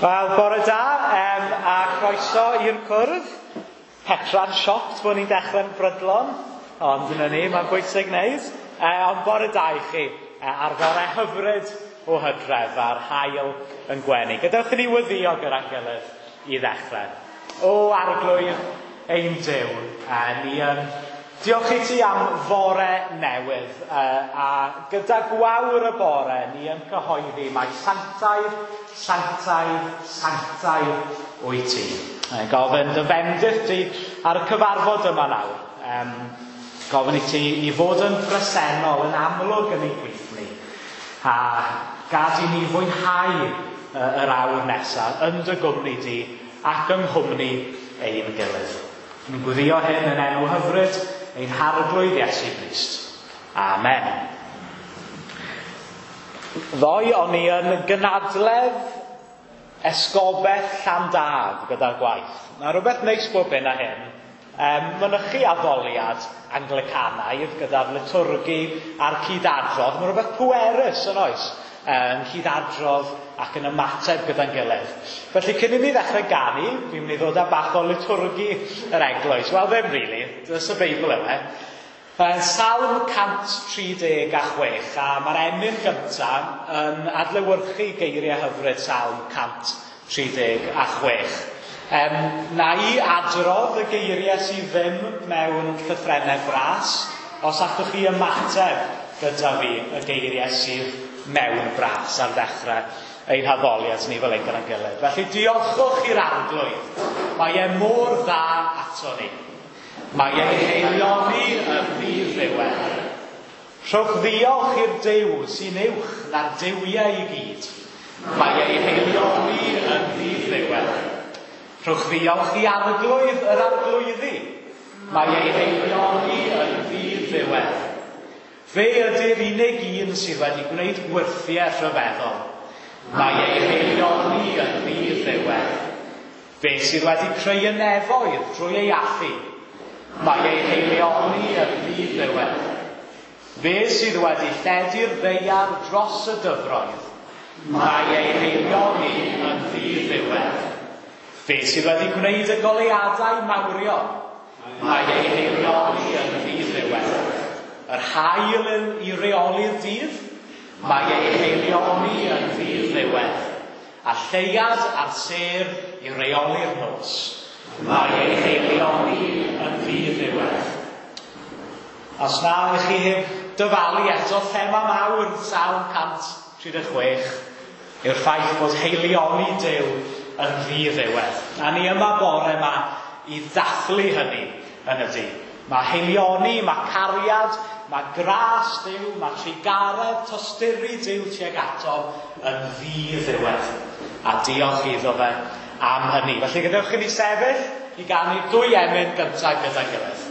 Wel, bore da a croeso i'r cwrdd. Petra'n shocked bod ni'n dechrau'n brydlon, ond dyna ni, mae'n bwysig wneud. Ond bore da i chi, ar fore hyfryd o hydref a'r haul yn gwenu. Gadewch i ni weddïo gyda'n gilydd i ddechrau. O Arglwydd ein Duw, ni yn diolch i ti am fore newydd, a gyda gwawr y bore ni yn cyhoeddi mai sanctaidd, sanctaidd, sanctaidd wyt ti. Gofyn dy fendith ti ar y cyfarfod yma nawr. Gofyn i ti i fod yn bresennol, yn amlwg yn ein plith ni, a gad i ni fwynhau yr awr nesaf yn dy gwmni di ac yng nghwmni ein gilydd. Ni'n gweddio hyn yn enw hyfryd ein Harglwydd Iesu Grist. Amen. Ddoe o'n i yn gynadledd esgobaeth Llandaf gyda'r gwaith. Mae rhywbeth neis bob hyn a hyn. Mynychu addoliad Anglicanaidd gyda'r liturgy a'r cydadrodd. Mae rhywbeth pwerus yn oes, yn cydadrodd ac yn ymateb gyda'n gilydd. Felly cyn i ni ddechrau ganu, fi'n mynd i ddod â bach o liturgy yr eglwys. Wel, ddim really, dys y Beibl yma. Salm 136, a mae'r emyn gyntaf yn adlewyrchu geiriau hyfryd Salm 136. Na i adrodd y geiriau sydd ddim mewn llythrennau bras, os allwch chi ymateb gyda fi y geiriau sydd mewn bras ar ddechrau ein haddoliad ni fel ein gyda'n gilydd. Felly diolchwch i'r Arglwydd. Mae e mor dda ato ni. Mae e'n haelioni yn ddi-ddiwedd. Rhowch ddiolch i'r Duw sy'n uwch na'r duwiau i gyd. Mae ei haelioni yn ddi-ddiwedd. Rhowch ddiolch i Arglwydd yr Arglwyddi. Mae ei haelioni yn ddi-ddiwedd. Fe ydy'r unig un sydd wedi gwneud gwyrthiau rhyfeddol. Mae ei haelioni yn ddi-ddiwedd. Fe sydd wedi creu y nefoedd drwy ei allu. Mae ei haelioni yn ddi-ddiwedd. Fe sydd wedi lledu'r ddaear dros y dyfroedd. Mae ei haelioni yn ddi-ddiwedd. Fe sydd wedi gwneud y goleuadau mawrion. Mae ei haelioni yn ddi-ddiwedd. Yr haul i reoli'r dydd, mae ei haelioni yn ddi-ddiwedd. A lleuad a'r sêr i reoli'r nos, mae ei haelioni yn ddi-ddiwedd. Os na ych chi heb dyfalu eto, thema mawr Salm 136 yw'r ffaith bod haelioni Duw yn ddi-ddiwedd. A ni yma bore yma i ddathlu hynny yn y dydd. Mae haelioni, mae cariad, mae gras Duw, mae trugaredd, tosturi Duw tuag ato yn ddi-ddiwedd. A diolch iddo fe am hynny. Felly gadewch i ni sefyll i ganu dwy emyn gyntaf gyda'n gilydd.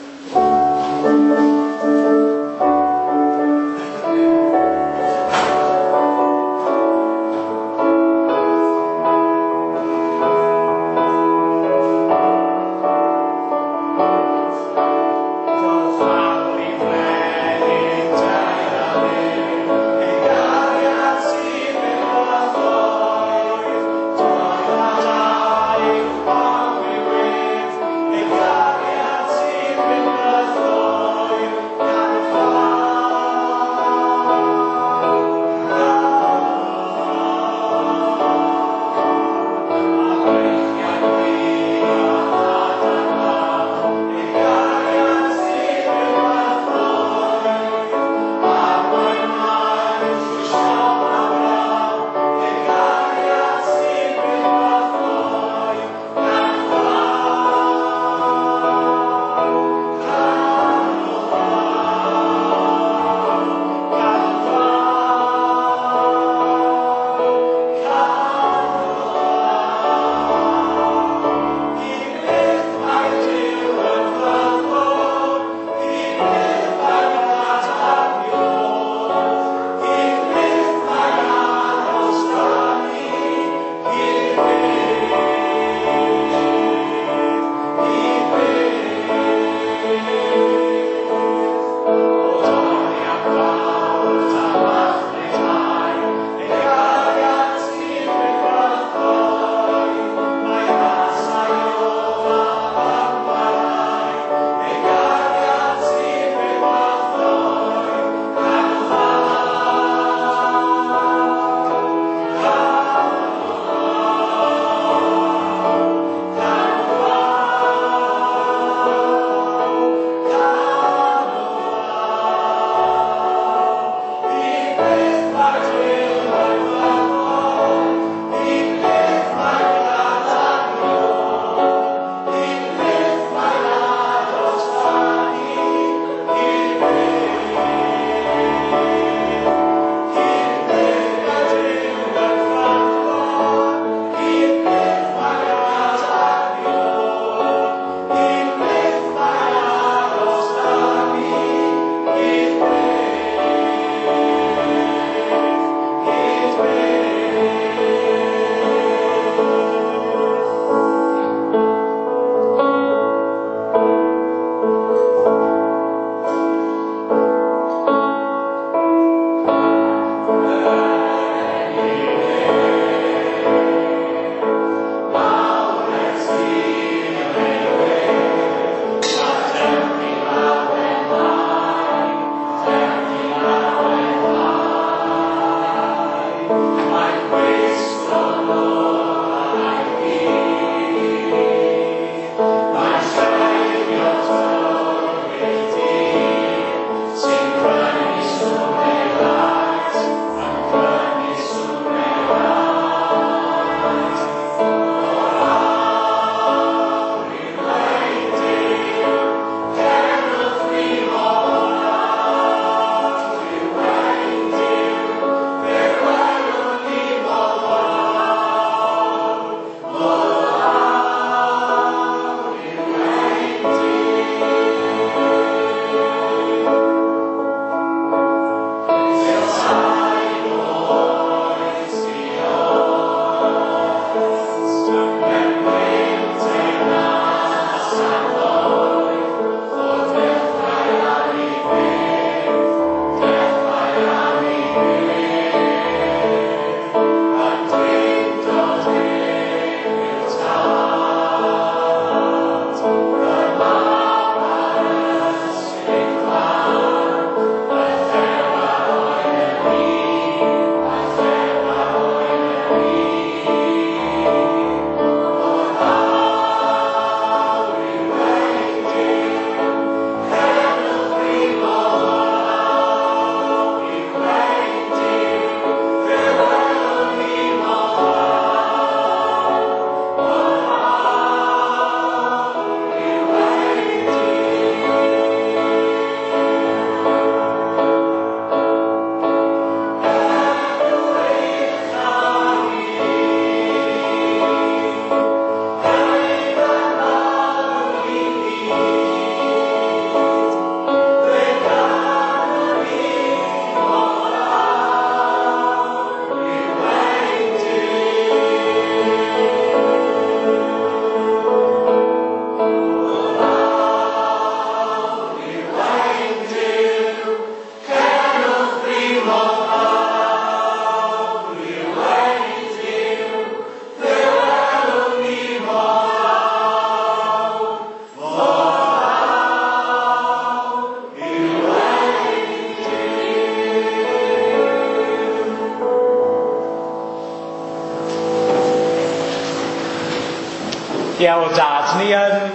Ie, o dad, ni yn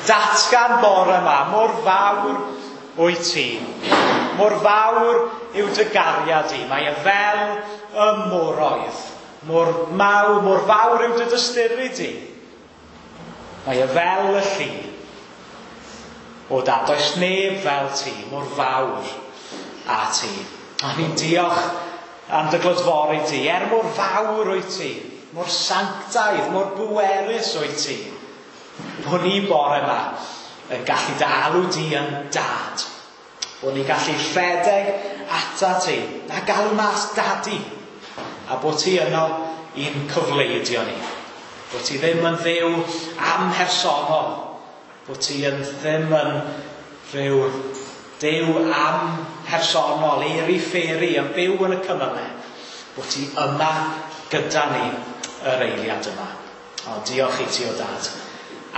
datgan bore yma, mor fawr wyt ti. Mor fawr yw dy gariad di. Mae e fel y moroedd. Mor mawr, mor fawr yw dy dysturi di. Mae e fel y llu. O dad, does neb fel ti, mor fawr a ti. A ni'n diolch am dy glodfori di, er mor fawr wyt ti, mor sanctaidd, mor bwerus wyt ti, bod ni bore yma yn gallu dy alw di yn dad. Bod ni'n gallu rhedeg ata ti, a galw mas dadi, a bod ti yno i'n cyfleidio ni. Bod ti ddim yn ddiw amhersonol, bod ti yn ddim yn rhyw Duw amhersonol, airy-fairy, yn byw yn y cymylau, bod ti yma gyda ni yr eiliad yma. O, diolch i ti o dad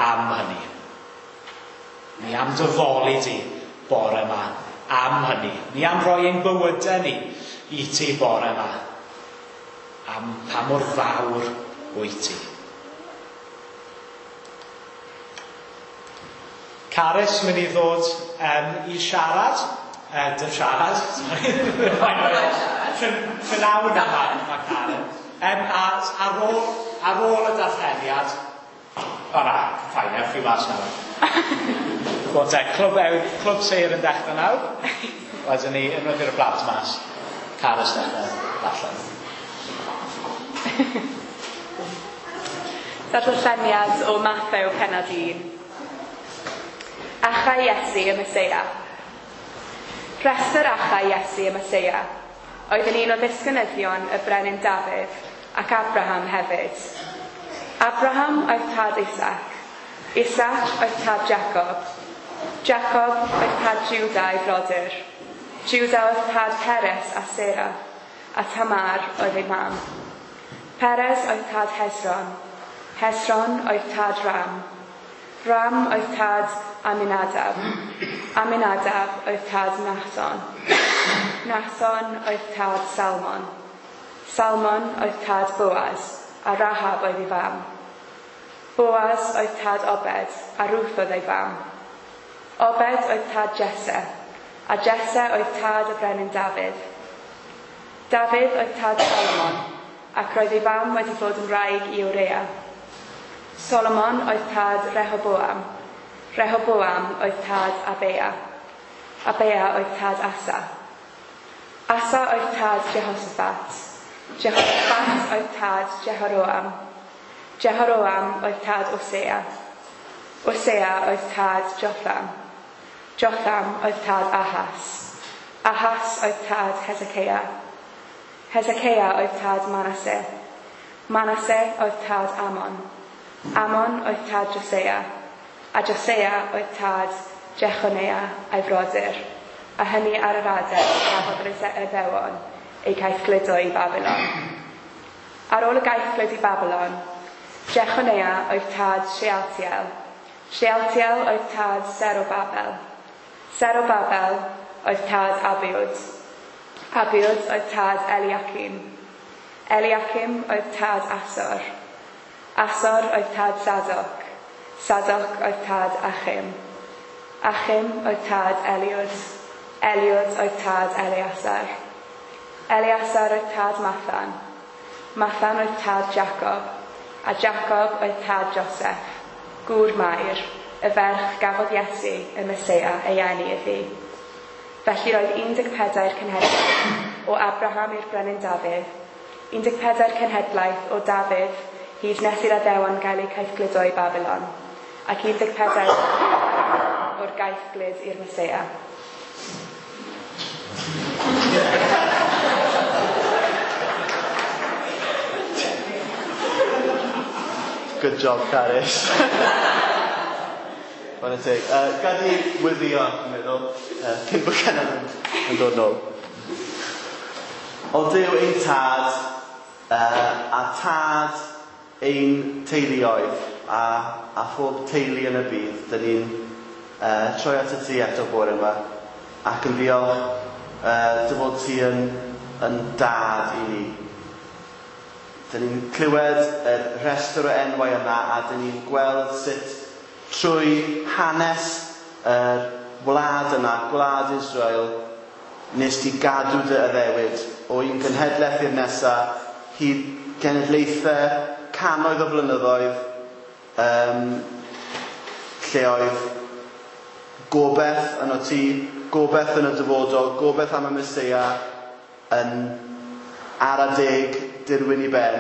am hynny. Ni am dy foli di bore yma am hynny. Ni am roi ein bywydau ni i ti bore yma. Am pa mor fawr wyt ti. Carys mynd i ddod i siarad. Dim siarad, sorry. Prynawn yma, mae Karen. A ar ôl y darlleniad, o na, fine, ewch chi mas nawr. Wel te, clwb sêr yn dechrau nawr. Wedyn ni, unwaith i'r plant mas, Carys dechrau darllen. Darlleniad o Mathew pennod 1. Achau Iesu y Meseia. Rhestr achau Iesu y Meseia oedd yn un o ddisgynyddion y brenin Dafydd ac Abraham hefyd. Abraham oedd tad Isaac, Isaac oedd tad Jacob, Jacob oedd tad Juda a'i frodyr, Juda oedd tad Peres a Sera, a Tamar oedd ei mam. Peres oedd tad Hezron, Hezron oedd tad Ram, Ram oedd tad Aminadab, Aminadab oedd tad Nahson, Nahson oedd tad Salmon, Salmon oedd tad Boaz, a Rahab oedd ei fam. Boaz oedd tad Obed, a Ruth oedd ei fam. Obed oedd tad Jesse, a Jesse oedd tad y brenin Dafydd. Dafydd oedd tad Solomon, ac roedd ei fam wedi bod yn wraig i Urea. Solomon oedd tad Rehoboam. Rehoboam oedd tad Abea. Abea oedd tad Asa. Asa oedd tad Jehoshaphat. Jehoshaphat oedd tad Jehoram. Jehoram oedd tad Osea. Osea oedd tad Jotham. Jotham oedd tad Ahas. Ahas oedd tad Hezekiah. Hezekiah oedd tad Manasseh. Manasseh oedd tad Amon. Amon oedd tad Josiah, a Josiah oedd tad Jechoniah a'i frodyr, a hynny ar yr adeg gafodd yr Iddewon eu caethgludo i Babilon. Ar ôl y gaethglud i Babilon, Jechoniah oedd tad Shealtiel. Shealtiel oedd tad Zerubabel. Zerubabel oedd tad Abiwd. Abiwd oedd tad Eliakim. Eliakim oedd tad Asor. Asor oedd tad Sadoc. Sadoc oedd tad Achim. Achim oedd tad Eliwd. Eliwd oedd tad Eleasar. Eleasar oedd tad Mathan. Mathan oedd tad Jacob. A Jacob oedd tad Joseph, gŵr Mair, y ferch gafodd Iesu y Meseia ei eni iddi. Felly roedd 14 cenhedlaeth o Abraham i'r brenin Dafydd, 14 cenhedlaeth o Dafydd hyd nes i'r Iddewon gael eu caethgludo i Babilon, ac 14 o'r gaethglud i'r Meseia. Good job, Carys. Chwarae teg. Gad i wyddio, dwi'n meddwl, cyn bod Cynan yn dod nôl. O Duw ein tad, a tad ein teuluoedd, a phob teulu yn y byd, dyn ni'n troi at y ti eto bore yma, ac yn diolch dy fod ti yn dad i ni. Dyn ni'n clywed y rhestr o enwau yma a dyn ni'n gweld sut trwy hanes yr wlad yma, gwlad Israel, nes di gadw dy addewid o un genhedlaeth i'r nesaf, hyd genedlaethau, cannoedd o blynyddoedd, lle oedd gobeith yno ti, gobeith yn y dyfodol, gobeith am y Meseia yn ara deg dirwyn i ben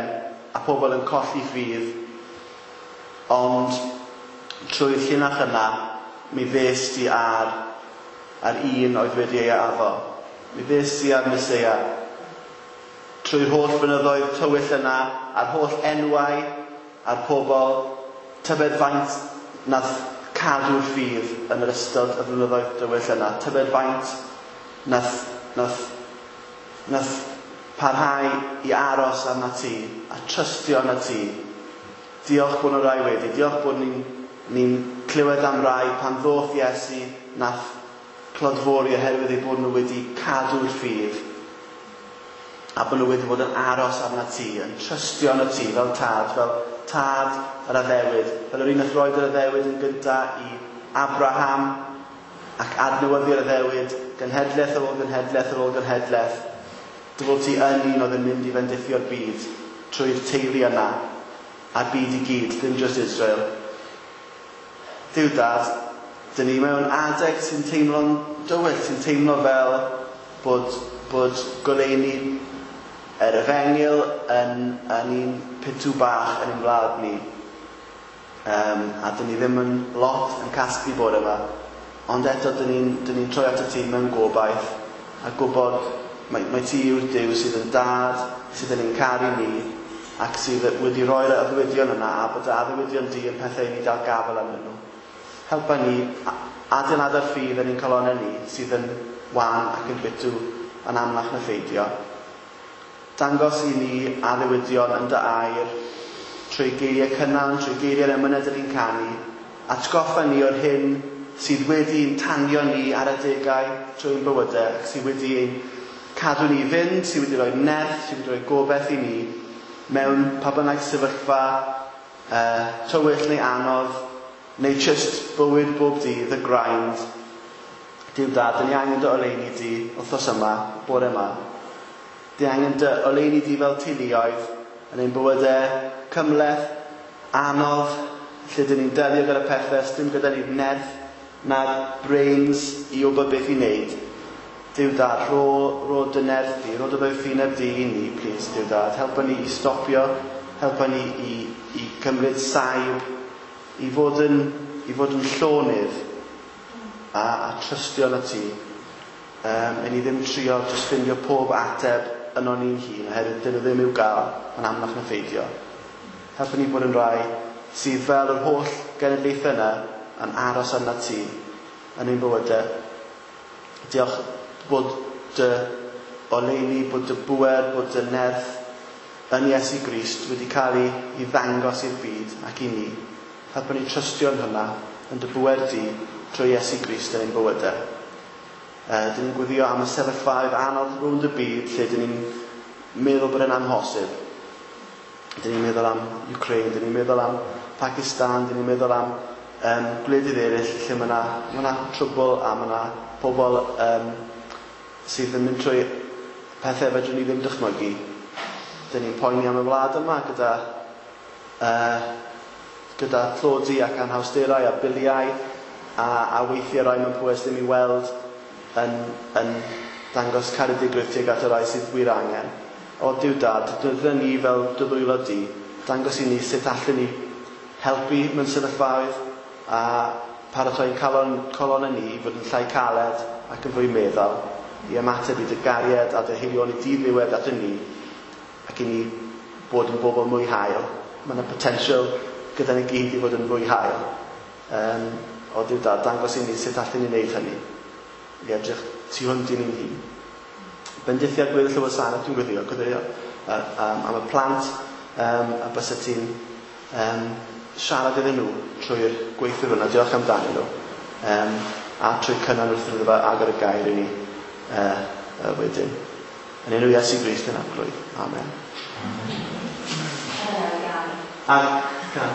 a pobl yn colli ffydd. Ond trwy'r llinach yna, mi ddes di ar un oedd wedi ei addo. Mi ddes di ar Meseia. Trwy'r holl flynyddoedd tywyll yna, a'r holl enwau, a'r pobl, tybed faint nath cadw'r ffydd yn yr ystod y flynyddoedd dywyll yna. Tybed faint nath parhau i aros arna ti a trystio arna ti. Diolch bod nhw rai wedi. Diolch bod ni'n clywed am rai pan ddoth Iesu nath clodfori oherwydd eu bod nhw wedi cadw'r ffydd a bod nhw wedi bod yn aros arna ti, yn trystio arna ti fel tad yr addewid, fel yr un nath roed yr addewid yn gyntaf i Abraham ac adnewyddu'r addewid, genhedlaeth ar ôl genhedlaeth ar ôl genhedlaeth. Dy fod ti yn un oedd yn mynd i fendithio'r byd trwy'r teulu yna a'r byd i gyd, ddim just Israel. Duw Dad, dyn ni mewn adeg sy'n teimlo'n dywyll, sy'n teimlo fel bod goleuni yr efengyl yn un pitw bach yn ein wlad ni. A dyn ni ddim yn lot yn casglu bod yma. Ond eto dyn ni'n troi at y ti mewn gobaith a gwybod mae ti yw'r Duw sydd yn dad, sydd yn ein caru ni ac sydd wedi roi'r addewidion yna a bod y addewidion di yn pethau i ni dal gafael arnyn nhw. Helpa ni adeiladu'r ffydd yn ein calonnau ni sydd yn wan ac yn bitw yn amlach na pheidio. Dangos i ni addewidion yn dy air trwy geiriau cynnal, trwy geiriau'r emynau dyn ni'n canu. Atgoffa ni o'r hyn sydd wedi'n tanio ni ar adegau trwy'n bywydau ac sydd wedi ein cadw ni fynd, sydd wedi rhoi nerth, sydd wedi rhoi gobeith i ni mewn pa bynnag sefyllfa tywyll neu anodd, neu just bywyd bob dydd, y grind. Duw Dad, dyn ni angen dy oleuni di wythnos yma, bore yma. Dyn ni angen dy oleuni di fel teuluoedd yn ein bywydau cymhleth, anodd, lle dyn ni'n delio gyda pethau, dim gyda ni'r nerth na'r brains i wybod beth i wneud. Duw Dad, rho dy nerth di, rho dy ddoethineb di i ni, please, Duw Dad. Helpa ni i stopio, helpa ni i cymryd saib, i fod yn llonydd a trystio na ti. I ni ddim trio jyst ffindio pob ateb yno ni'n hun, oherwydd dyn nhw ddim i'w gael yn amlach na pheidio. Helpa ni bod yn rai sydd fel yr holl genedlaethau yna yn aros arna ti yn ein bywydau. Diolch bod dy oleuni, bod dy bŵer, bod dy nerth yn Iesu Grist wedi cael ei ddangos i'r byd ac i ni. Helpa ni trystio yn hynna, yn dy bŵer di, trwy Iesu Grist yn ein bywydau. Dyn ni'n gweddio am y sefyllfaoedd anodd rownd y byd lle dyn ni'n meddwl bod e'n amhosib. Dyn ni'n meddwl am Ukraine, dyn ni'n meddwl am Pakistan, dyn ni'n meddwl am gwledydd eraill lle mae yna trwbl a mae yna pobl sydd yn mynd trwy pethau fedrwn ni ddim dychmygu. Dyn ni'n poeni am y wlad yma gyda tlodi ac anhawsterau a biliau a weithiau rai mewn pwys ddim i weld yn dangos caredigrwydd tuag at y rai sydd wir angen. O Duw Dad, defnyddia ni fel dy ddwylo di, dangos i ni sut allwn ni helpu mewn sefyllfaoedd a paratoi'n calonnau ni i fod yn llai caled ac yn fwy meddal, i ymateb i dy gariad a dy haelioni di-ddiwedd ato ni, ac i ni bod yn bobl mwy hael. Mae yna potensial gyda ni gyd i fod yn fwy hael. O Duw Dad, dangos i ni sut allwn ni wneud hynny, i edrych tu hwnt i ni'n hun. Bendithia gweddill y wasanaeth dwi'n gweddio am y plant, a bysa ti'n siarad iddyn nhw trwy'r gweithwyr yna, diolch amdanyn nhw, a trwy cynnal wrth iddo fe agor y gair i ni wedyn. Yn enw Iesu Grist yn Arglwydd. Amen. A cân.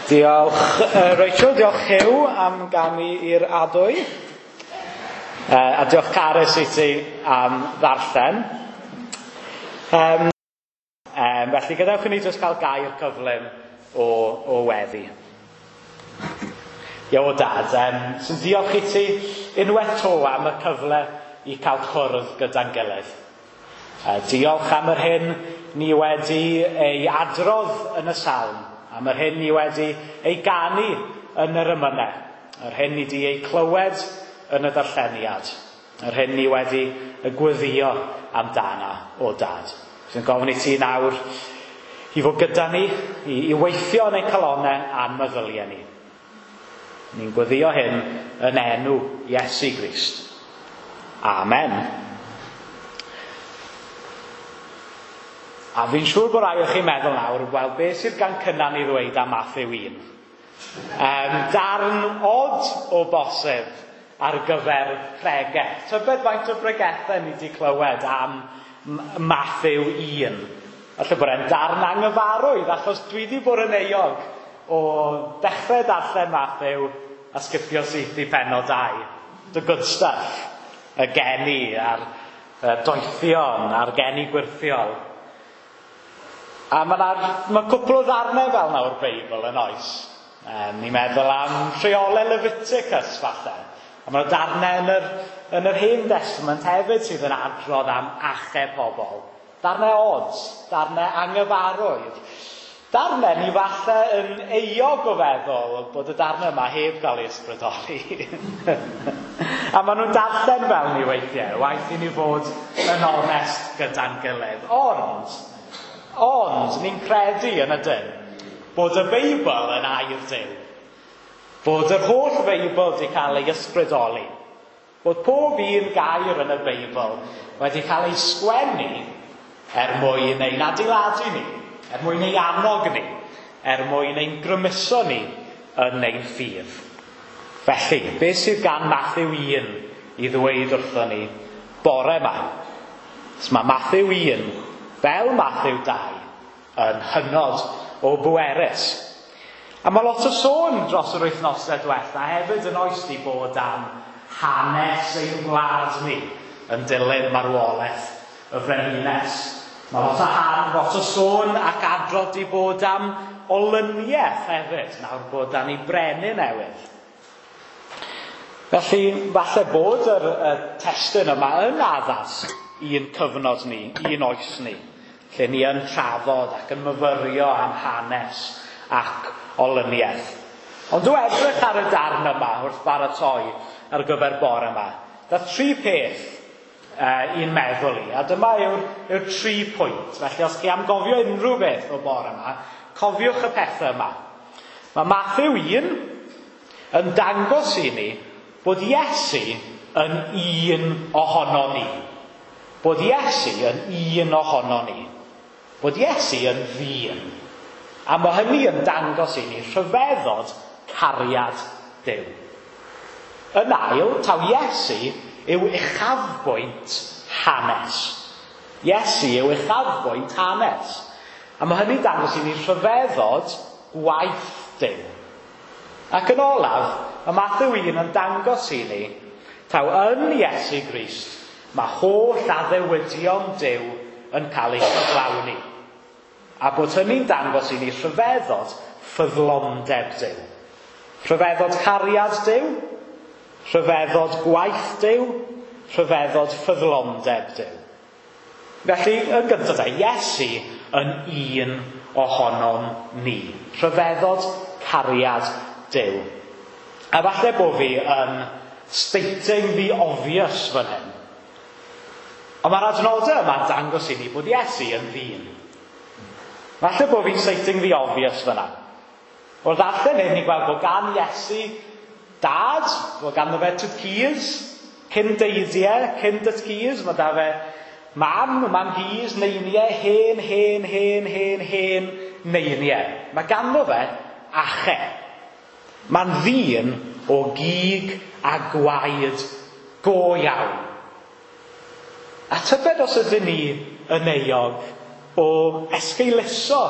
Diolch Rachel, diolch Hugh am ganu i'r adwy. A diolch Carys i ti am ddarllen. Felly gadewch i ni jyst cael gair cyflym o weddi. Ie, o dad, sy'n diolch i ti unwaith to am y cyfle i cael cwrdd gyda'n gilydd. Diolch am yr hyn ni wedi ei adrodd yn y salm, am yr hyn ni wedi ei ganu yn yr emynau, yr hyn ni wedi ei clywed yn y darlleniad, yr hyn ni wedi y gweddio amdana o dad. Sy'n gofyn i ti nawr i fod gyda ni, i weithio yn ein calonnau a'n meddyliau ni. Ni'n gweddio hyn yn enw Iesu Grist. Amen. A fi'n siŵr bod rai o chi'n meddwl nawr, wel, beth sydd gan Cynan i ddweud am Mathew 1? Darn od o bosib ar gyfer pregeth. Tybed faint o bregethau ni wedi clywed am Mathew 1? Falle bod e'n darn anghyfarwydd, achos dwi wedi bod yn euog o dechrau darllen Mathew a sgipio syth i pennod 2. The good stuff. Y geni a'r doethion a'r geni gwirthiol. A mae cwpl o ddarnau fel nawr Beibl yn oes. Ni'n meddwl am rheolau Leviticus falle. A mae darnau yn yr Hen Testament hefyd sydd yn adrodd am achau pobl. Darnau od, darnau anghyfarwydd. Darnau ni falle yn euog o feddwl bod y darnau yma heb gael ei ysbrydoli. A maen nhw'n darllen fel ni weithiau, waeth i ni fod yn onest gyda'n gilydd. Ond, ni'n credu yn ydyn bod y Beibl yn air Duw. Bod yr holl Feibl wedi cael ei ysbrydoli. Bod pob un gair yn y Beibl wedi cael ei sgwennu er mwyn ein adeiladu ni, er mwyn ei annog ni, er mwyn ein grymuso ni yn ein ffydd. Felly, beth sydd gan Mathew 1 i ddweud wrthon ni bore yma? So mae Mathew 1, fel Mathew 2, yn hynod o bwerus. A mae lot o sôn dros yr wythnosau diwetha hefyd yn oes di bod am hanes ein gwlad ni yn dilyn marwolaeth y frenhines. Mae lot o han, lot o sôn ac adrodd di bod am olyniaeth hefyd, nawr bod dan ni brenin newydd. Felly, falle bod yr, y testun yma yn addas i'n cyfnod ni, i'n oes ni, lle ni yn trafod ac yn myfyrio am hanes ac olyniaeth. Ond dwi edrych ar y darn yma wrth baratoi ar gyfer bore yma. Dath tri peth i'n meddwl i, a dyma yw'r, yw tri pwynt. Felly os chi am gofio unrhyw beth o bore yma, cofiwch y pethau yma. Mae Mathew 1 yn dangos i ni bod Iesu yn un ohono ni. Bod Iesu yn un ohono ni. Bod Iesu yn ddyn. A mae hynny yn dangos i ni rhyfeddod cariad Duw. Yn ail, taw Iesu yw uchafbwynt hanes. Iesu yw uchafbwynt hanes. A mae hynny'n dangos i ni rhyfeddod gwaith Duw. Ac yn olaf, mae Mathew 1 yn dangos i ni taw yn Iesu Grist mae holl addewidion Duw yn cael eu cyflawni. A bod hynny'n dangos i ni rhyfeddod ffyddlondeb Duw. Rhyfeddod cariad Duw, rhyfeddod gwaith Duw, rhyfeddod ffyddlondeb Duw. Felly, yn gyntaf te, Iesu yn un ohonom ni. Rhyfeddod cariad Duw. A falle bod fi yn stating the obvious fan hyn. Ond mae'r adnodau yma'n dangos i ni bod Iesu yn ddyn. Falle bod fi'n stating the obvious fyna. Wrth ddarllen hyn, ni'n gweld bod gan Iesu dad, bod ganddo fe tad-cus, cyn deidiau, cyn dad-cus, mae da fe mam, mam-gus, neiniau, hen, hen, hen, hen, hen neiniau. Mae ganddo fe ache. Mae'n ddyn o gig a gwaed go iawn. A tybed os ydyn ni yn euog o esgeuluso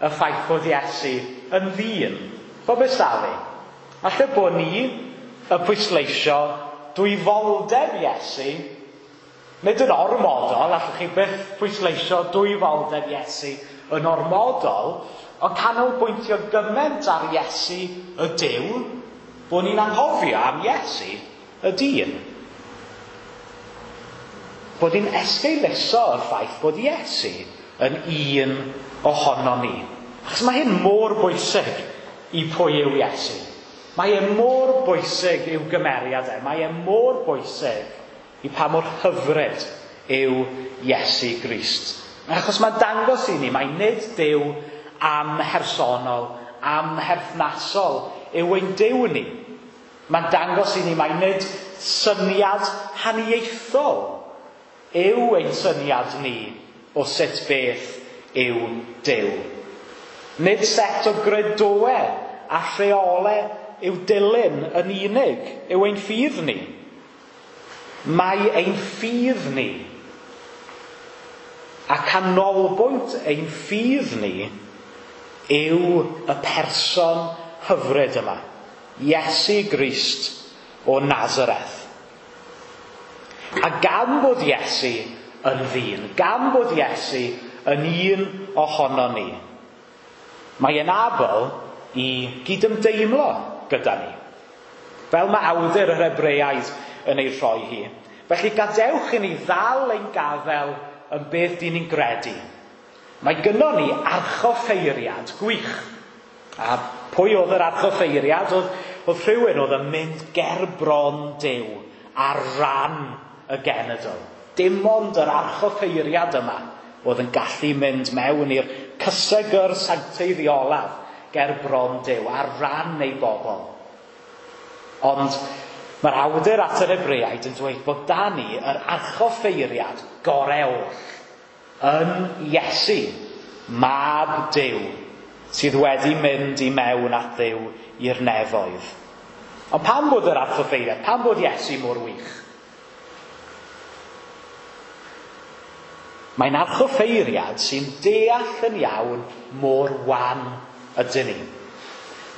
y ffaith bod Iesu yn ddyn. Bob beth fi. Falle bod ni yn pwysleisio dwyfoldeb Iesu, nid yn ormodol, allwch chi byth pwysleisio dwyfoldeb Iesu yn ormodol, ond canolbwyntio gymaint ar Iesu y Duw, bod ni'n anghofio am Iesu y dyn. Bod ni'n esgeuluso y ffaith bod Iesu yn un ohono ni. Achos mae hyn mor bwysig i pwy yw Iesu. Mae e mor bwysig i'w gymeriad e. Mae e mor bwysig i pa mor hyfryd yw Iesu Grist. Achos mae'n dangos i ni, mae nid Duw amhersonol, amherthnasol yw ein Duw ni. Mae'n dangos i ni mae nid syniad haniaethol yw ein syniad ni o sut beth yw Duw. Nid set o gredoau a rheolau yw dilyn yn unig yw ein ffydd ni. Mae ein ffydd ni a canolbwynt ein ffydd ni yw y person hyfryd yma. Iesu Grist o Nazareth. A gan bod Iesu yn ddyn, gan bod Iesu yn un ohono ni, mae e'n abl i gydymdeimlo gyda ni. Fel mae awdur yr Hebreaid yn ei rhoi hi. Felly gadewch i ni ddal ein gafel yn beth dyn ni'n gredu. Mae gynnon ni archoffeiriad gwych. A pwy oedd yr archoffeiriad? Oedd, oedd rhywun oedd yn mynd ger bron Duw ar ran y genedl. Dim ond yr archoffeiriad yma oedd yn gallu mynd mewn i'r cysegr sancteiddiolaf ger bron Duw ar ran ei bobl. Ond mae'r awdur at yr Hebreaid yn dweud bod da ni yr archoffeiriad gorau oll yn Iesu, mab Duw, sydd wedi mynd i mewn at Dduw i'r nefoedd. Ond pam bod yr archoffeiriad? Pam bod Iesu mor wych? Mae'n archoffeiriad sy'n deall yn iawn mor wan ydyn ni.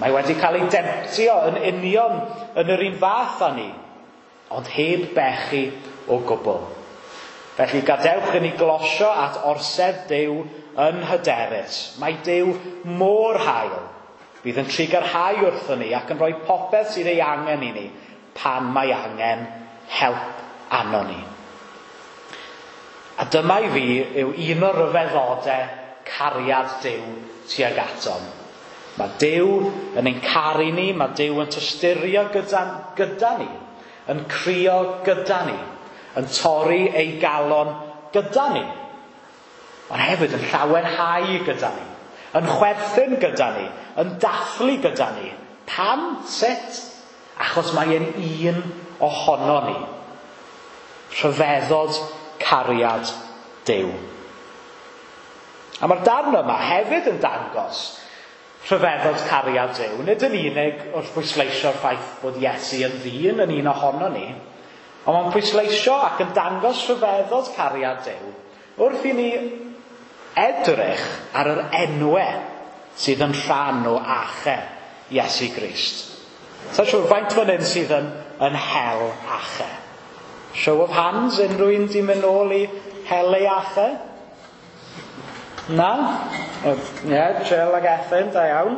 Mae wedi cael ei demtio yn union yn yr un fath â ni, ond heb bechu o gwbl. Felly gadewch i ni glosio at orsedd Duw yn hyderus. Mae Duw mor hael. Bydd yn trugarhau wrthon ni ac yn rhoi popeth sydd ei angen i ni pan mae angen help arnon ni. A dyma i fi yw un o'r rhyfeddodau cariad Duw tuag atom. Mae Duw yn ein caru ni, mae Duw yn tosturio gyda ni, yn crio gyda ni, yn torri ei galon gyda ni, ond hefyd yn llawenhau gyda ni, yn chwerthin gyda ni, yn dathlu gyda ni. Pam? Sut? Achos mae e'n un ohono ni. Rhyfeddod cariad Duw. A mae'r darn yma hefyd yn dangos rhyfeddod cariad Duw. Nid yn unig wrth bwysleisio'r ffaith bod Iesu yn ddyn yn un ohono ni, ond mae'n pwysleisio ac yn dangos rhyfeddod cariad Duw wrth i ni edrych ar yr enwau sydd yn rhan o achau Iesu Grist. Sa'n siŵr faint fan hyn sydd yn hel achau. Show of hands, unrhyw un di mynd nôl i hel ei achau? Na? Ie, yeah, Jill ag Ethan, da iawn.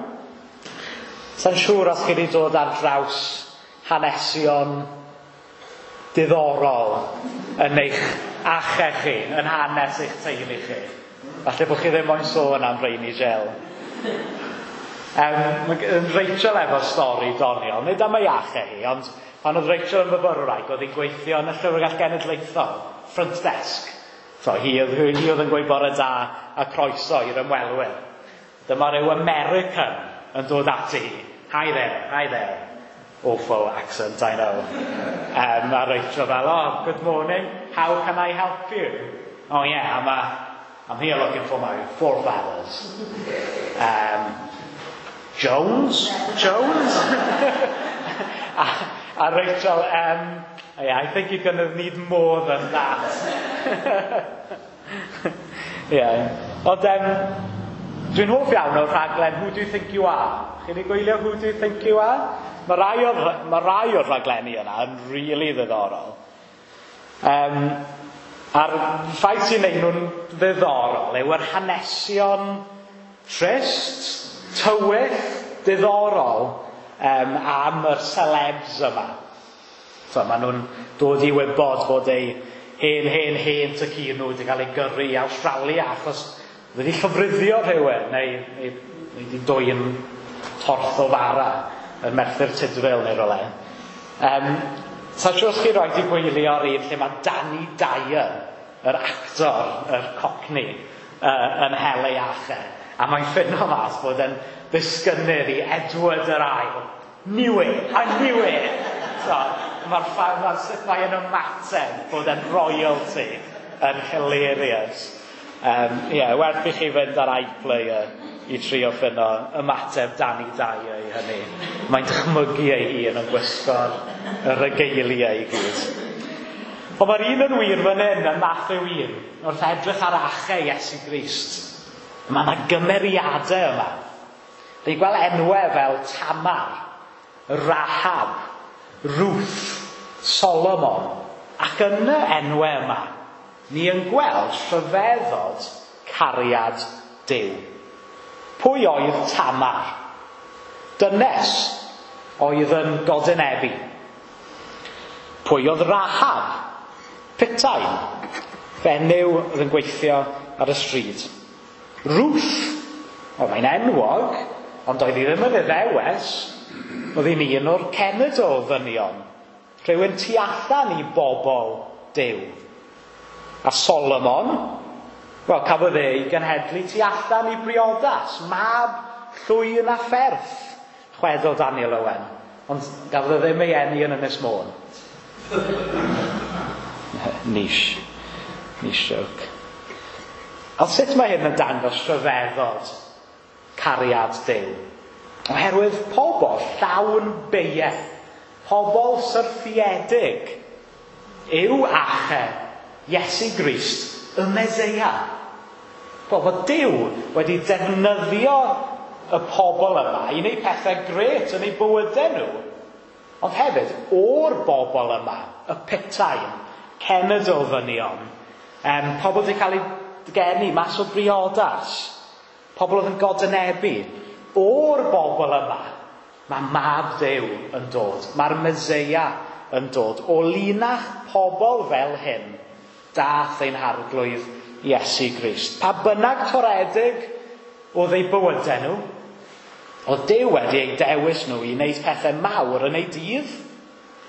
Sa'n siŵr os chi wedi dod ar draws hanesion diddorol yn eich achau chi, yn hanes eich teulu chi. Falle bod chi ddim moyn sôn am rheini, Jill. Rachel efo stori doniol, nid am ei achau hi, ond pan oedd Rachel yn fyfyrwraig, oedd hi'n gweithio yn y Llyfrgell Genedlaethol, front desk. So, hi oedd yn gweud bore da a croeso i'r ymwelwyr. Dyma ryw American yn dod ati hi. Hi there, hi there. Awful accent, I know. A Rachel fel, oh, good morning, how can I help you? Oh yeah, I'm here looking for my forefathers. Jones? Jones? A Rachel, yeah, I think you're going to need more than that. Yeah. Ond dwi'n hoff iawn o'r rhaglen Who Do You Think You Are? Chi wedi gwylio Who Do You Think You Are? Mae rai o'r rhaglenni yna yn really ddiddorol. A'r ffaith sy'n neud nhw'n ddiddorol yw yr hanesion trist, tywyll, diddorol am yr celebs yma. So, maen nhw'n dod i wybod bod eu hen tad-cu nhw wedi cael ei gyrru i Awstralia achos wedi llofruddio rhywun neu wedi dwyn torth o fara yn Merthyr Tudful neu rywle. Sa'n siŵr os chi roed i gwylio'r un lle mae Danny Dyer, yr actor, yr cockney, yn hel ei achau. A mae'n ffino mas bod yn ddisgynnydd i Edward yr Ail. Knew it! I knew it! So, mae'r sut mae'n ymateb bod yn royalty yn hilarious. Yeah, werth i chi fynd ar iPlayer i trio ffino ymateb Danny Dyer i hynny. Mae'n dychmygu ei hun yn gwisgo'r regalia i gyd. Ond mae'r un yn wir fan hyn yn Mathew 1, wrth edrych ar achau Iesu Grist. Mae yna gymeriadau yma. Ni'n gweld enwau fel Tamar, Rahab, Ruth, Solomon. Ac yn y enwau yma, ni yn gweld rhyfeddod cariad Duw. Pwy oedd Tamar? Dynes oedd yn godynebu. Pwy oedd Rahab? Putain, fenyw oedd yn gweithio ar y stryd. Ruth, o mae'n enwog, ond oedd hi ddim yn Iddewes, oedd hi'n un o'r cenedl ddynion. Rhywun tu allan i bobl Duw. A Solomon, wel, cafodd ei genhedlu tu allan i briodas, mab llwyn a pherth, chwedl Daniel Owen. Ond gafodd e ddim ei eni yn Ynys Môn. Niche joke. Ond sut mae hyn yn dangos rhyfeddod cariad Duw? Oherwydd pobl llawn beiau Pobl syrthiedig yw ache Iesu Grist, y Meseia. Bod Duw wedi defnyddio y pobl yma i wneud pethau grêt yn eu bywydau nhw. Ond hefyd, o'r bobl yma, y putain, cenedl ddynion, pobl wedi cael eu geni mas o briodas, pobl oedd yn godynebu, o'r bobl yma, mae mab Duw yn dod, mae'r Meseia yn dod. O linach pobl fel hyn, dath ein harglwydd Iesu Grist. Pa bynnag toredig oedd eu bywydau nhw, oedd Duw wedi eu dewis nhw i wneud pethau mawr yn eu dydd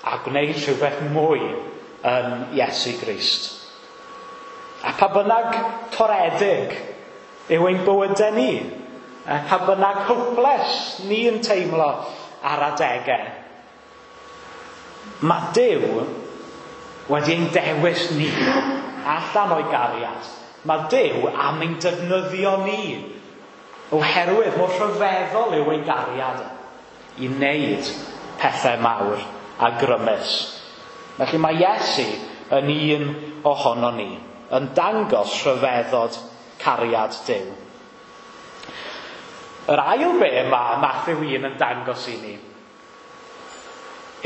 a gwneud rhywbeth mwy yn Iesu Grist. A pa bynnag toredig yw ein bywydau ni, pa bynnag hopeless ni'n teimlo ar adegau, mae Duw wedi ein dewis ni allan o'i gariad. Mae Duw am ein defnyddio ni oherwydd mor rhyfeddol yw ei gariad i wneud pethau mawr a grymus. Felly mae Iesu yn un ohono ni, yn dangos rhyfeddod cariad Duw. Yr ail be mae Mathew 1 yn dangos i ni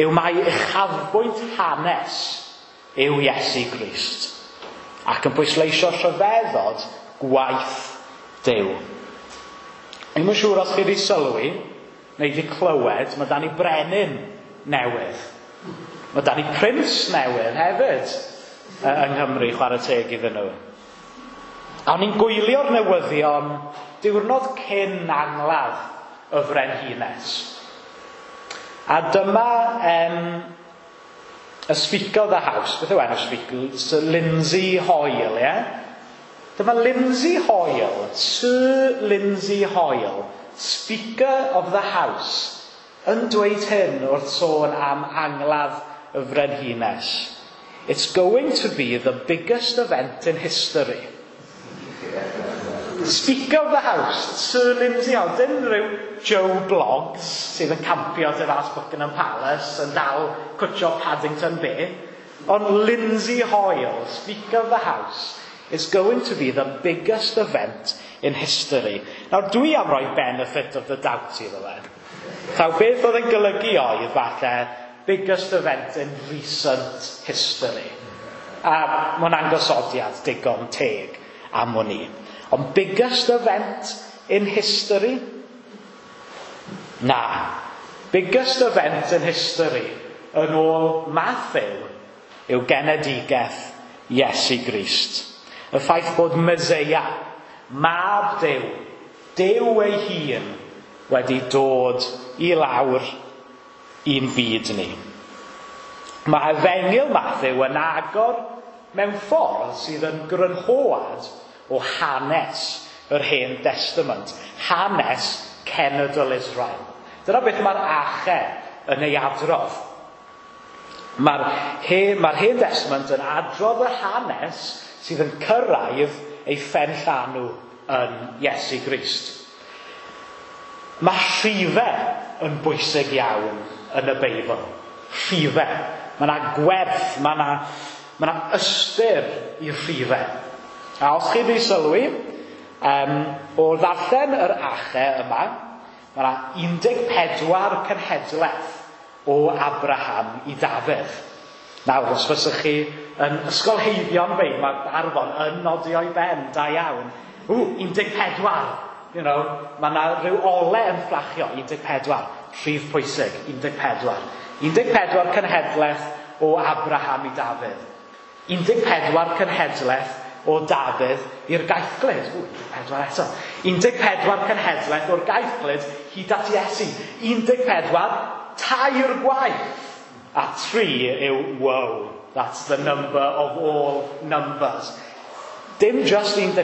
yw mai uchafbwynt hanes yw Iesu Grist ac yn pwysleisio rhyfeddod gwaith Duw. Dwi'm yn siŵr os chi wedi sylwi neu wedi clywed, mae 'da ni brenin newydd. Mae 'da ni prince newydd hefyd yng Nghymru, chwarae teg iddyn nhw. A o'n i'n gwylio'r newyddion diwrnod cyn angladd y frenhines. A dyma y Speaker of the House, beth yw enw Speaker? Sir Lindsay Hoyle, ie? Dyma Lindsay Hoyle, Sir Lindsay Hoyle, Speaker of the House, yn dweud hyn wrth sôn am angladd y frenhines. It's going to be the biggest event in history. Speaker of the House, Sir Lindsay Hoyle, dim rhyw Joe Bloggs sydd yn campio tu fas Buckingham Palace yn dal cwtio Paddington Bear, ond Lindsay Hoyle, Speaker of the House, is going to be the biggest event in history. Nawr, dwi am roi benefit of the doubt iddo fe. Taw beth oedd yn golygu oedd falle biggest event in recent history. A mae'n angosodiad digon teg am wn i. Ond biggest event in history? Na. Biggest event in history yn ôl Matthew yw genedigaeth Iesu Grist. Y ffaith bod Meseia, mab Duw, Duw ei hun, wedi dod i lawr i'n byd ni. Mae Efengyl Matthew yn agor mewn ffordd sydd yn grynhoad o hanes yr Hen Testament, hanes cenedl Israel. Dyna beth mae'r ache yn ei adrodd. Mae'r Hen Testament yn adrodd y hanes sydd yn cyrraedd ei phenllanw yn Iesu Grist. Mae rhifau yn bwysig iawn yn y Beibl. Rhifau. Mae yna gwerth, mae yna ystyr i'r rhifau. A os chi wedi sylwi, o ddarllen yr ache yma, mae yna 14 cenhedlaeth o Abraham i Dafydd. Nawr, os fysych chi yn ysgolheigion Beibl, mae Arfon yn nodio i ben, da iawn. 14, you know, mae yna rhyw ole yn fflachio, 14, rhif pwysig, 14. 14 cenhedlaeth o Abraham i Dafydd. 14 cenhedlaeth o Dafydd i'r gaethglud. 14 eto. 14 cenhedlaeth o'r gaethglud hyd at Iesu. 14, tair gwaith. A 3 yw, wow, that's the number of all numbers. Dim just 14,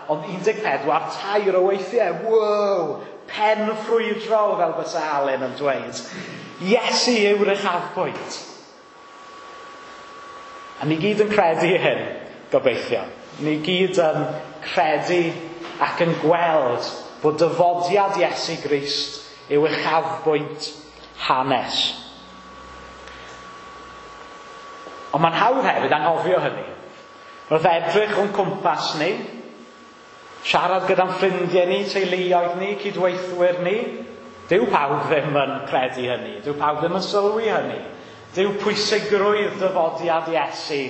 ond 14 tair o weithiau. Wow, pen ffrwydrol fel bysa Alun yn dweud. Iesu yw'r uchafbwynt. A ni gyd yn credu hyn, gobeithio. Ni gyd yn credu ac yn gweld bod dyfodiad Iesu Grist yw uchafbwynt hanes. Ond mae'n hawdd hefyd anghofio hynny. Wrth edrych o'n cwmpas ni, siarad gyda'n ffrindiau ni, teuluoedd ni, cydweithwyr ni, dyw pawb ddim yn credu hynny, dyw pawb ddim yn sylwi hynny. Dyw pwysigrwydd dyfodiad Iesu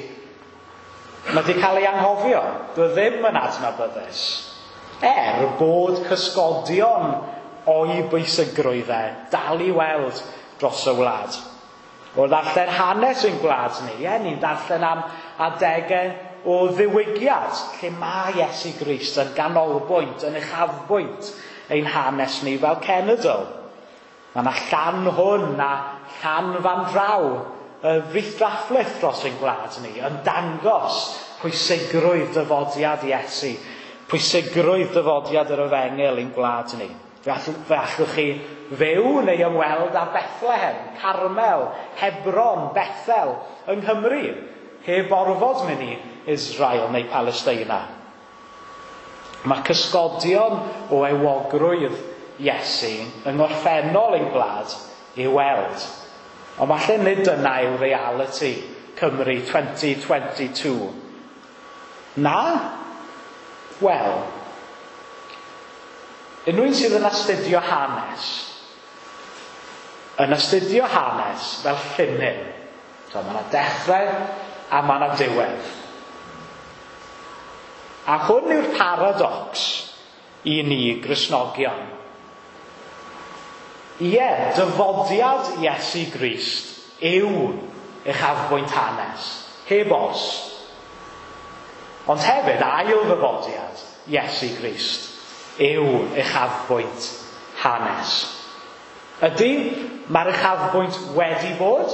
mae wedi cael ei anghofio, dyw e ddim yn adnabyddus. Er bod cysgodion o'i bwysigrwydd e dal i weld dros y wlad. O ddarllen hanes ein gwlad ni, ie, ni'n darllen am adegau o ddiwygiad, lle mae Iesu Grist yn ganolbwynt, yn uchafbwynt ein hanes ni fel cenedl. Mae yna llan hwn a llan fan draw, y frith-draflith dros ein gwlad ni, yn dangos pwysigrwydd dyfodiad Iesu, pwysigrwydd dyfodiad yr efengyl i'n gwlad ni. Fe allwch chi fyw neu ymweld â Bethlehem, Carmel, Hebron, Bethel yng Nghymru, heb orfod mynd i Israel neu Palesteina. Mae cysgodion o ewogrwydd Iesu yng ngorffennol ein gwlad i'w weld. Ond falle nid dyna yw reality Cymru 2022. Na? Wel, unrhyw un sydd yn astudio hanes, yn astudio hanes fel llinyn. So, mae yna dechrau a mae yna diwedd. A hwn yw'r paradox i ni Gristnogion. Ie, dyfodiad Iesu Grist yw uchafbwynt hanes, heb os. Ond hefyd, ail ddyfodiad Iesu Grist yw uchafbwynt hanes. Ydy, mae'r uchafbwynt wedi bod,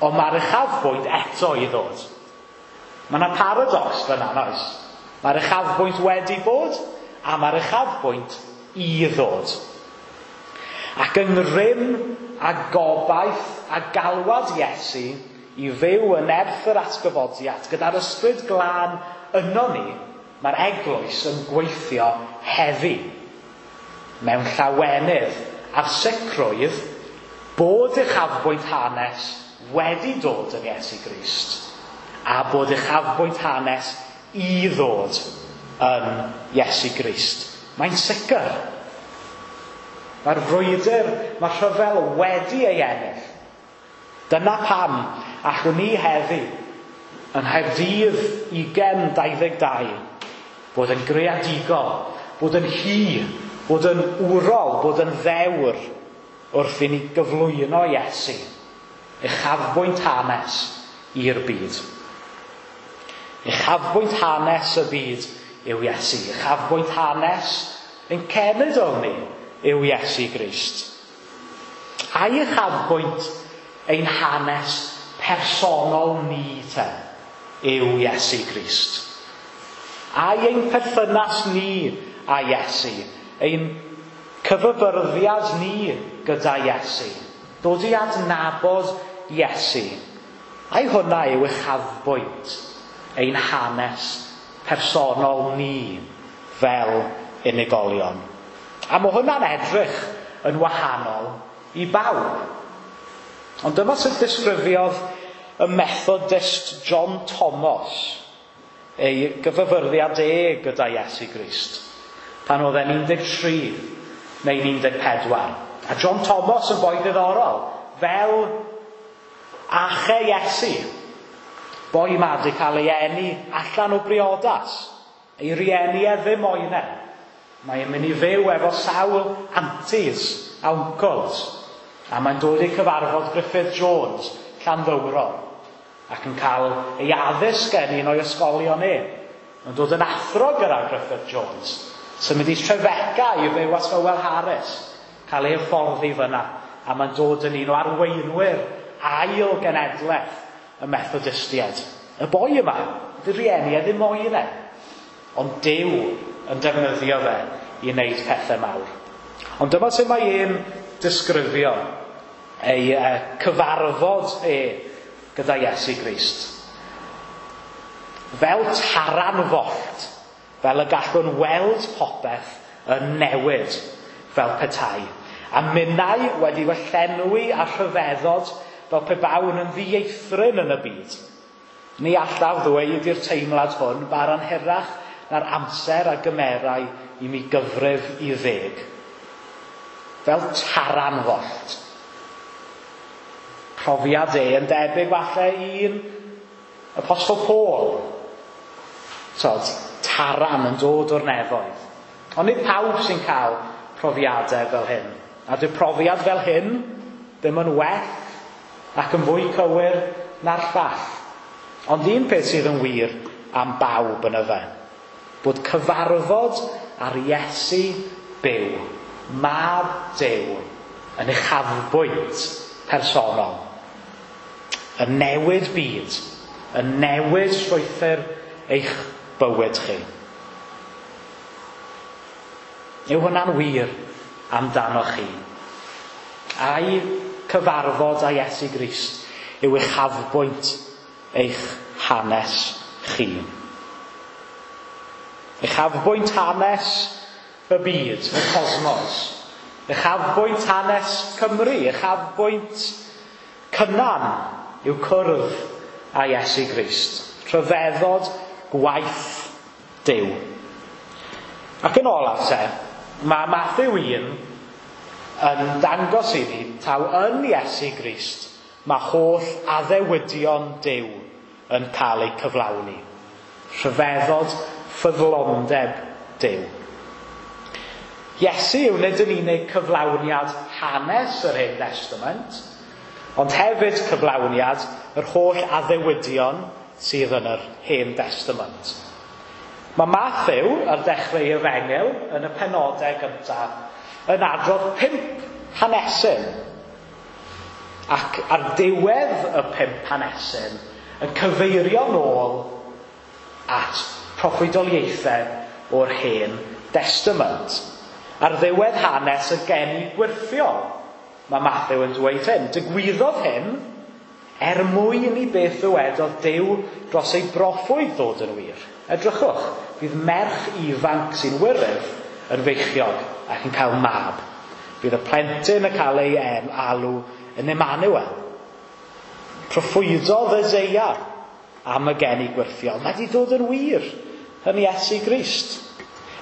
ond mae'r uchafbwynt eto i ddod. Mae yna paradox fyna, oes? Mae'r uchafbwynt wedi bod, a mae'r uchafbwynt i ddod. Ac yng ngrym a gobaith a galwad Iesu i fyw yn nerth yr atgyfodiad, gyda'r ysbryd glân yno ni, mae'r eglwys yn gweithio heddi mewn llawenydd a'r sicrwydd bod uchafbwynt hanes wedi dod yn Iesu Grist a bod uchafbwynt hanes i ddod yn Iesu Grist. Mae'n sicr. Mae'r frwydr, mae'r rhyfel wedi ei ennill. Dyna pam allwn ni heddi yng Nghaerdydd 2022 bod yn greadigol, bod yn hy, bod yn wrol, bod yn ddewr wrth i ni gyflwyno Iesu, uchafbwynt hanes i'r byd. Uchafbwynt hanes y byd yw Iesu. Uchafbwynt hanes ein cenedl ni yw Iesu Grist. Ai uchafbwynt ein hanes personol ni te yw Iesu Grist. Ai ein perthynas ni â Iesu, ein cyfybyrddiad ni gyda Iesu, dod i adnabod Iesu, ai hwnna yw uchafbwynt ein hanes personol ni fel unigolion. A mae hwnna'n edrych yn wahanol i bawb. Ond dyma sut disgrifiodd y Methodist John Thomas ei gyfyfyrddiad e gyda Iesu Grist pan oedd e'n 13 neu 14. A John Thomas yn boi diddorol, fel ache Iesu, boi ma 'di cael ei eni allan o briodas, ei rieni e ddim moyn e. Mae'n mynd i fyw efo sawl aunties a uncles, a mae'n dod i cyfarfod Griffith Jones, Llanddowror, ac yn cael ei addysg gen un o'i ysgolion e. Mae'n dod yn athro gyda Griffith Jones, symud i Trefeca i fyw at Hywel Harris, cael ei hyfforddi fyna, a mae'n dod yn un o arweinwyr ail genedlaeth y Methodistiaid. Y boi yma, dy rieni e ddim moyn e, ond Duw yn defnyddio fe i wneud pethau mawr. Ond dyma sut mae e'n disgrifio ei cyfarfod e gyda Iesu Grist. Fel taran follt, fel y gallwn weld popeth yn newid fel petai. A minnau wedi fy llenwi â rhyfeddod fel pe bawn yn ddieithryn yn y byd. Ni allaf ddweud i'r teimlad hwn bara'n hirach na'r amser a gymerai i mi gyfrif i 10. Fel taran follt. Profiad e yn debyg falle un Apostol Paul. Tod, taran yn dod o'r nefoedd. Ond nid pawb sy'n cael profiadau fel hyn. A dyw profiad fel hyn ddim yn well ac yn fwy cywir na'r llall. Ond un peth sydd yn wir am bawb yn y fe, bod cyfarfod ar Iesu byw, mab Duw, yn uchafbwynt personol, yn newid byd, yn newid strwythur eich bywyd chi. Yw hwnna'n wir amdano chi? Ai cyfarfod â Iesu Grist yw uchafbwynt eich hanes chi? Uchafbwynt hanes y byd, y cosmos. Uchafbwynt hanes Cymru, uchafbwynt Cynan yw cwrdd â Iesu Grist. Rhyfeddod gwaith Duw. Ac yn olaf te, mae Mathew 1 yn dangos i ni taw yn Iesu Grist mae holl addewidion Duw yn cael eu cyflawni. Rhyfeddod ffyddlondeb Duw. Iesu yw nid yn unig cyflawniad hanes yr Hen Testament, ond hefyd cyflawniad yr holl addewidion sydd yn yr Hen Testament. Mae Mathew ar dechrau ei efengyl yn y penodau gyntaf yn adrodd 5 hanesyn, ac ar diwedd y 5 hanesyn yn cyfeirio nôl at proffwydoliaethau o'r Hen Testament. Ar ddiwedd hanes y geni gwyrthiol, mae Mathew yn dweud hyn. Digwyddodd hyn er mwyn i beth ddywedodd Duw dros ei broffwyd ddod yn wir. Edrychwch, bydd merch ifanc sy'n wyryf yn feichiog ac yn cael mab. Bydd y plentyn yn cael ei alw yn Emmanuel. Proffwydodd Eseia am y geni gwyrthiol. Mae wedi dod yn wir yn Iesu Grist.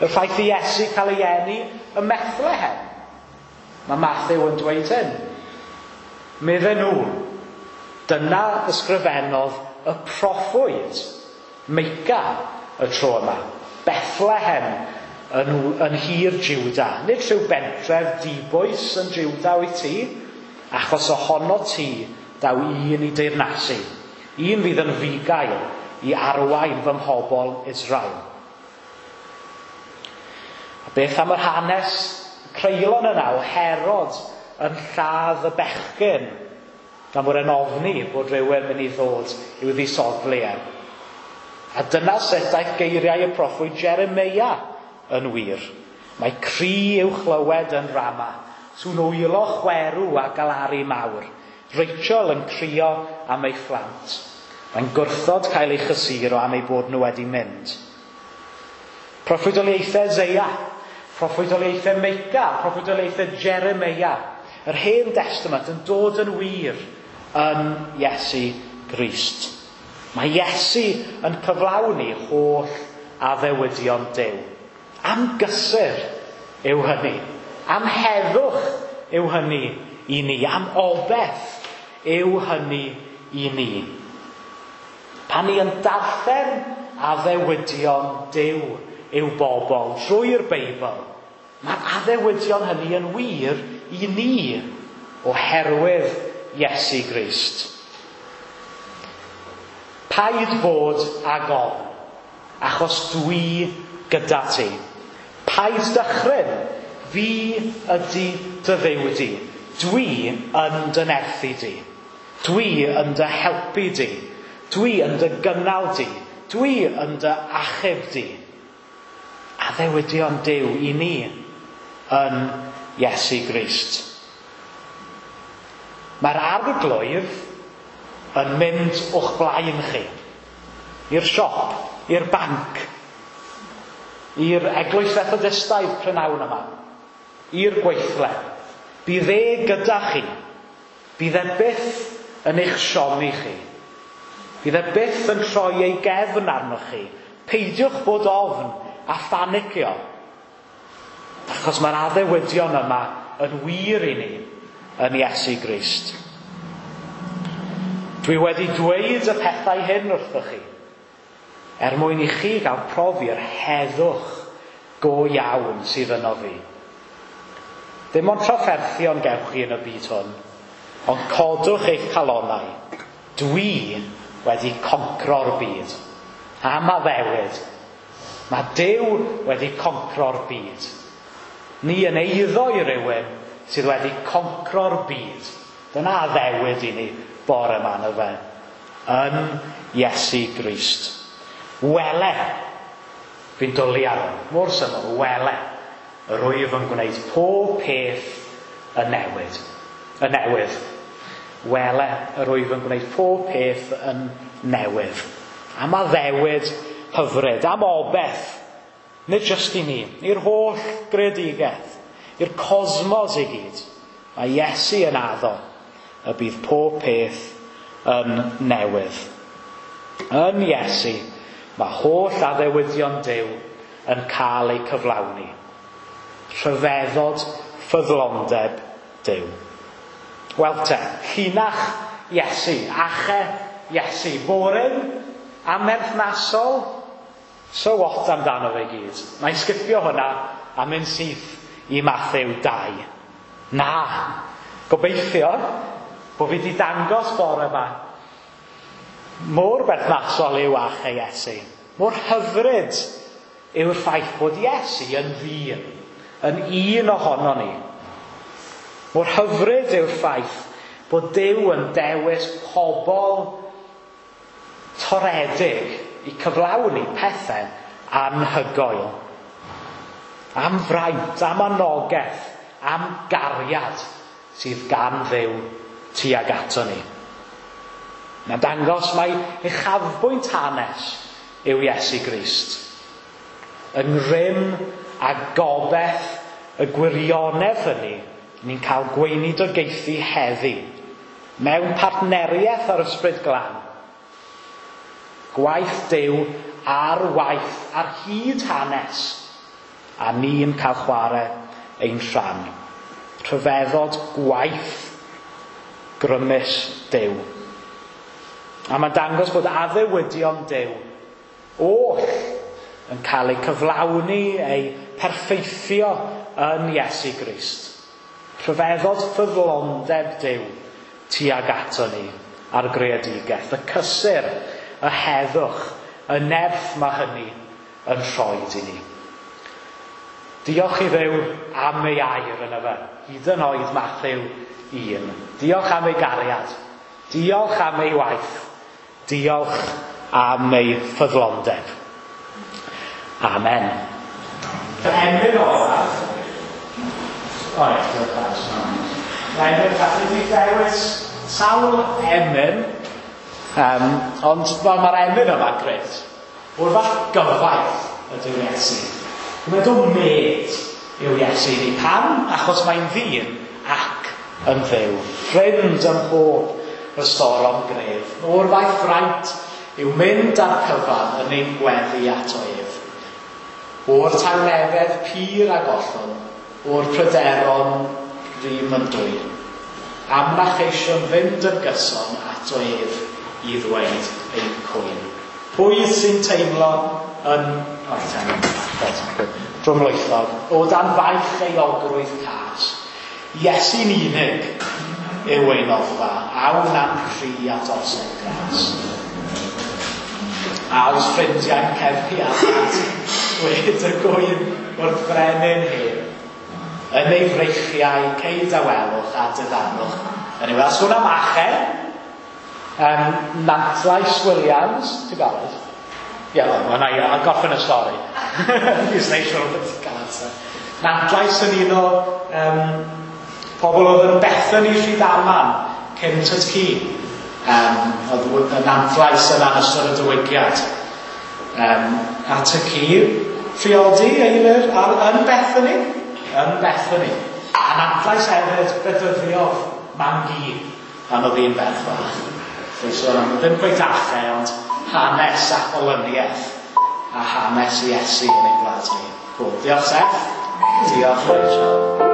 Y ffaith i Iesu cael ei eni ym Methlehem. Mae Mathew yn dweud hyn. Medden nhw, dyna ysgrifennodd y proffwyd Meica y tro yma. Bethlehem yn hir Jiwda. Nid rhyw bentref dibwys yn Jiwda wyt ti, achos ohono ti daw un i deyrnasu. Un fydd yn fugail i arwain fy mhobl Israel. A beth am yr hanes creulon yna o Herod yn lladd y bechgyn, gan fod e'n ofni bod rhywun mynd i ddod i'w ddisodli e. A dyna sut daeth geiriau y proffwyd Jeremeia yn wir. Mae cri i'w chlywed yn Rama, sŵn wylo chwerw a galaru mawr. Rachel yn crio am ei phlant. Mae'n gwrthod cael ei chysuro am ei bod nhw wedi mynd. Proffwydoliaethau Eseia, proffwydoliaethau Meica, proffwydoliaethau Jeremeia. Yr Hen Testament yn dod yn wir yn Iesu Grist. Mae Iesu yn cyflawni holl addewidion Duw. Am gysur yw hynny. Am heddwch yw hynny i ni. Am obeth yw hynny i ni. Pan ni yn darllen addewidion Duw i'w bobl drwy'r Beibl, mae'r addewidion hynny yn wir i ni oherwydd Iesu Grist. Paid bod ag ofn, achos dwi gyda ti. Paid dychryn, fi ydy dy Dduw di. Dwi yn dy nerthu di. Dwi yn dy helpu di. Dwi yn dy gynnal di. Dwi yn dy achub di. Addewidion Duw i ni yn Iesu Grist. Mae'r arglwydd yn mynd o'ch blaen chi. I'r siop, i'r banc, i'r eglwys Fethodistaidd prynawn yma, i'r gweithle. Bydd e gyda chi. Bydd e byth yn eich siomi chi. Fydd e byth yn troi ei gefn arnoch chi. Peidiwch bod ofn a phanicio. Achos mae'r addewidion yma yn wir i ni yn Iesu Grist. Dwi wedi dweud y pethau hyn wrthoch chi, er mwyn i chi gael profi'r heddwch go iawn sydd yno fi. Dim ond trafferthion gewch chi yn y byd hwn, ond codwch eich calonnau. Dwi wedi concro'r byd. Am addewid. Mae Duw wedi concro'r byd. Ni yn eiddo i rywun sydd wedi concro'r byd. Dyna addewid i ni bore yma yn y fe. Yn Iesu Grist. Wele. Fi'n dwlu ar hwn. Mor syml, wele. Yr wyf yn gwneud pob peth yn newid. Y newydd. Wele, yr wyf yn gwneud pob peth yn newydd. Am addewid hyfryd, am obeth. Nid jyst i ni, i'r holl greadigaeth, i'r cosmos i gyd. Mae Iesu yn addo y bydd pob peth yn newydd. Yn Iesu, mae holl addewidion Duw yn cael eu cyflawni. Rhyfeddod ffyddlondeb Duw. Wel te, llinach Iesu, ache Iesu, boring, amerthnasol, so what amdano fe gyd. Mae'n sgipio hwnna a mynd syth i Mathew 2. Na, gobeithio bod fi wedi dangos bore yma mor berthnasol yw ache Iesu. Mor hyfryd yw'r ffaith bod Iesu yn ddyn, yn un ohono ni. Mor hyfryd yw'r ffaith bod Duw yn dewis pobl toredig i cyflawni pethau anhygoel. Am fraint, am anogaeth, am gariad sydd gan Dduw tuag ato ni. Mae'n dangos mai uchafbwynt hanes yw Iesu Grist. Yng ngrym a gobaith y gwirionedd hynny, ni'n cael gweinidogaethu heddi mewn partneriaeth ar Ysbryd Glân. Gwaith Duw ar waith ar hyd hanes, a ni'n cael chwarae ein rhan. Rhyfeddod gwaith grymus Duw. A mae'n dangos bod addewidion Duw oll yn cael eu cyflawni, eu perffeithio yn Iesu Grist. Rhyfeddod ffyddlondeb Duw tuag ato ni a'r greadigaeth. Y cysur, y heddwch, y nerth mae hynny yn rhoid i ni. Diolch i Dduw am ei air yn y fe. Hyd yn oed Mathew 1. Diolch am ei gariad. Diolch am ei waith. Diolch am ei ffyddlondeb. Amen. Emyn olaf. O, diolch. Emyn, gallu di dewis sawl emyn, ond mae'r emyn yma grêt. O'r fath gyfaith ydyw Iesu. Mae'n dod med yw Iesu i ni. Pam? Achos mae'n ddyn ac yn Dduw. Ffrind ym mhob ystorom gref. O'r fath fraint yw mynd â'r cyfan yn ein gweddi ato ef. O'r tangnefedd pur a gollwn, o'r pryderon rym yn dwyn. Am na cheisiwn fynd yn gyson ato ef i ddweud ein cwyn. Pwy sy'n teimlo yn... drwmlwythog, o dan faich euogrwydd cas. Iesu'n unig yw ein noddfa, awn am cri at osod gras. A oes ffrindiau'n cefnu at dweud y gwyn wrth frenin hen. Yn ei freichiau ceid awelwch a diddanwch. Anyway, sôn am ache, Nantlais Williams, ti'n barod? Ie, well, na i gorffen y stori. Fi'n neud siŵr bod ti'n cael amser. Nantlais yn un o pobl oedd yn Bethany Rhydaman cyn Tŷ. Oedd y Nantlais yn ystod y diwygiad. A Tŷ priodi Eilir yn Bethany. Yn Bethany. A Nantlais hefyd bedyddiodd Mam-gu pan oedd hi'n ferch fach. Felly sôn am ddim cweit achau, ond hanes ac olyniaeth a hanes Iesu yn ein gwlad ni. Cool. Diolch Seth. Diolch Rachel.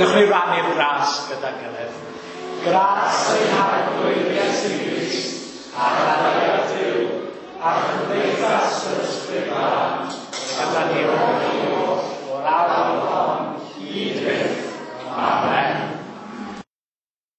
Dewch ni rannu'r gras gyda'n gilydd. Gras ein Harglwydd Iesu Grist, a chariad Duw, a chymdeithas yr Ysbryd Glân, gyda ni oll.